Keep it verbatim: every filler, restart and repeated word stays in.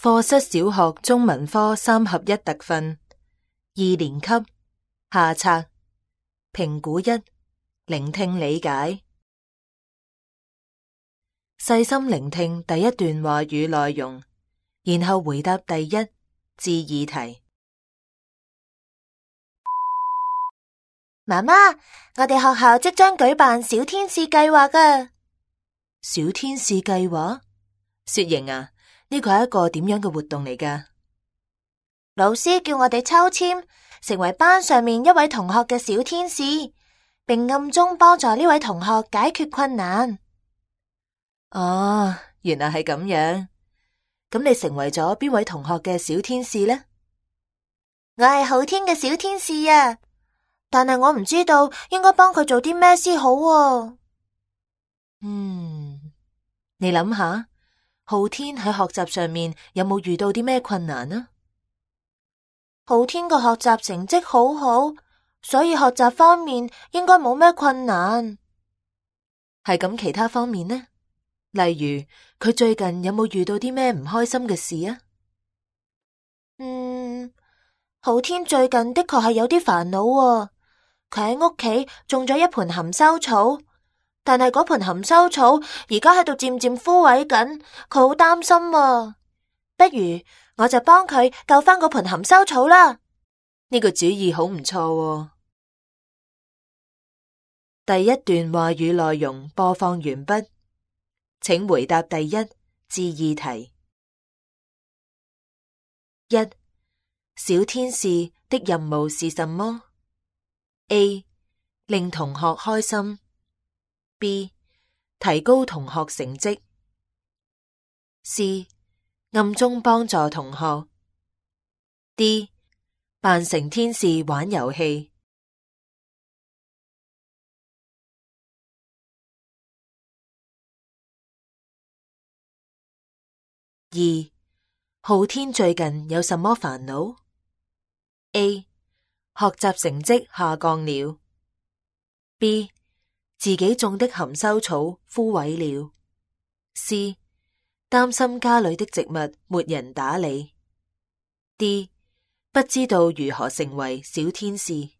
課室小學中文科三合一特訓二年級下冊評估一聆聽理解。細心聆聽第一段話語內容，然後回答第一至二題。媽媽，我哋學校即將舉辦小天使計劃㗎。小天使計劃？雪瑩啊，呢個係一個點樣嘅活動嚟㗎？老師叫我哋抽籤，成為班上面一位同學嘅小天使，並暗中幫助呢位同學解決困難。哦，原來係咁樣。咁你成為咗邊位同學嘅小天使呢？我係浩天嘅小天使啊，但係我唔知道應該幫佢做啲咩先好啊。嗯，你諗下，浩天喺學習上面有冇遇到啲咩困難啊？浩天嘅學習成績好好，所以學習方面應該冇咩困難。係咁，其他方面呢？例如佢最近有冇遇到啲咩唔開心嘅事啊？嗯，浩天最近的確係有啲煩惱啊。佢喺屋企種咗一盆含羞草，但係嗰盆含羞草而家喺度漸漸枯萎緊，佢好擔心啊。不如我就幫佢救返嗰盆含羞草啦。呢個主意好唔錯喎。第一段話語內容播放完畢，請回答第一至二題。一、小天使的任務是什麼？ A. 令同學開心。 B. 提高同學成績。 C. 暗中幫助同學。 D. 扮成天使玩遊戲。二、浩天最近有什麼煩惱？ A. 學習成績下降了。 B. 自己種的含羞草枯萎了。 C. 擔心家裏的植物沒人打理。 D. 不知道如何成為小天使。